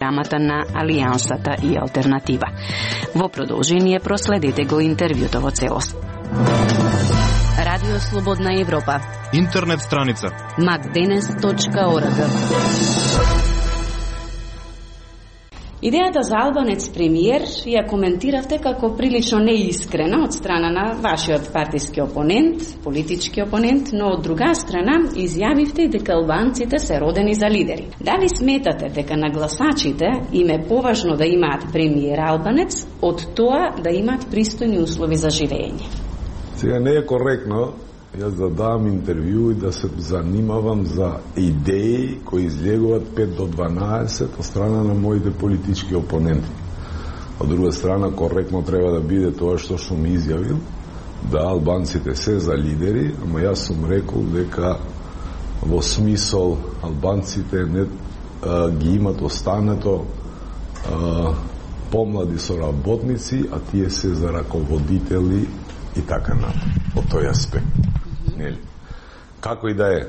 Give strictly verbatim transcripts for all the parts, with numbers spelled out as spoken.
програмата на Алијансата и Алтернатива. Во продолжение проследете го интервјуто во целост. Радио Слободна Европа. Интернет страница макденес точка орг. Идејата за албанец премиер ја коментиравте како прилично неискрена од страна на вашиот партиски опонент, политички опонент, но од друга страна изјавивте дека албанците се родени за лидери. Дали сметате дека на гласачите им е поважно да имаат премиер албанец од тоа да имаат пристојни услови за живење? Сега не е коректно јас да дам интервју и да се занимавам за идеи кои излегуваат пет до дванаесет од страна на моите политички опоненти. Од друга страна, коректно треба да биде тоа што сум изјавил, да албанците се за лидери, ама јас сум рекол дека во смисол албанците не а, ги имат останато а, помлади соработници, а тие се за раководители и така натаму. Од тој аспект. Нели? Како и да е,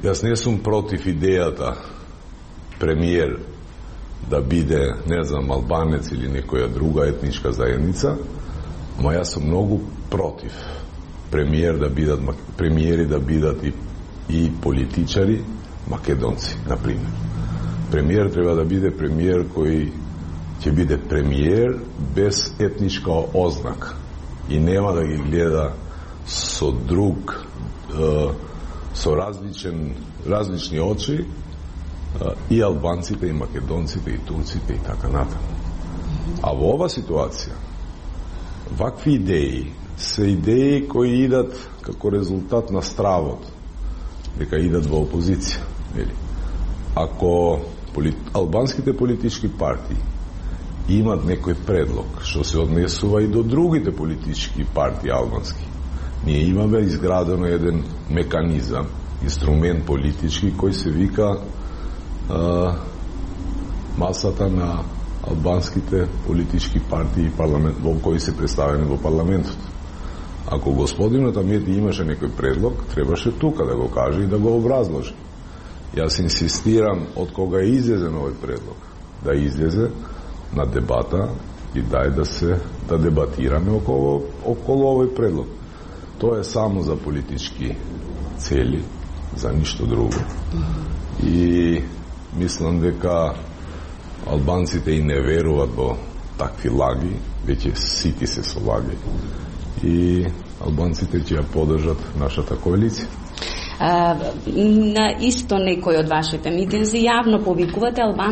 јас не сум против идејата премиер да биде, не знам, албанец или некоја друга етничка заедница, но јас сум многу против премиер да бидат, премиери да бидат и, и политичари македонци, например. Премиер треба да биде премиер кој ќе биде премиер без етничка ознака и нема да ги гледа со друг, со различен, различни очи и албанците, и македонците, и турците, и така натаму. А во ова ситуација, вакви идеи се идеи кои идат како резултат на стравот, дека идат во опозиција. Ако полит... албанските политички партии имат некој предлог што се однесува и до другите политички партии албански, ние имаме изградено еден меканизам, инструмент политички кој се вика а, масата на албанските политички партии и парламент, во кои се представени во парламентот. Ако господинот Амети имаше некој предлог, требаше тука да го каже и да го образложи. Јас инсистирам од кога е излезен овој предлог, да излезе на дебата и дај да се да дебатираме околу, околу овој предлог. Тоа е само за политички цели, за ништо друго. И мислам дека албанците и не веруваат во такви лаги, веќе сити се со лаги. И албанците ќе ја поддржат нашата коалиција. А, на исто некој од вашите митинзи јавно повикувате албан,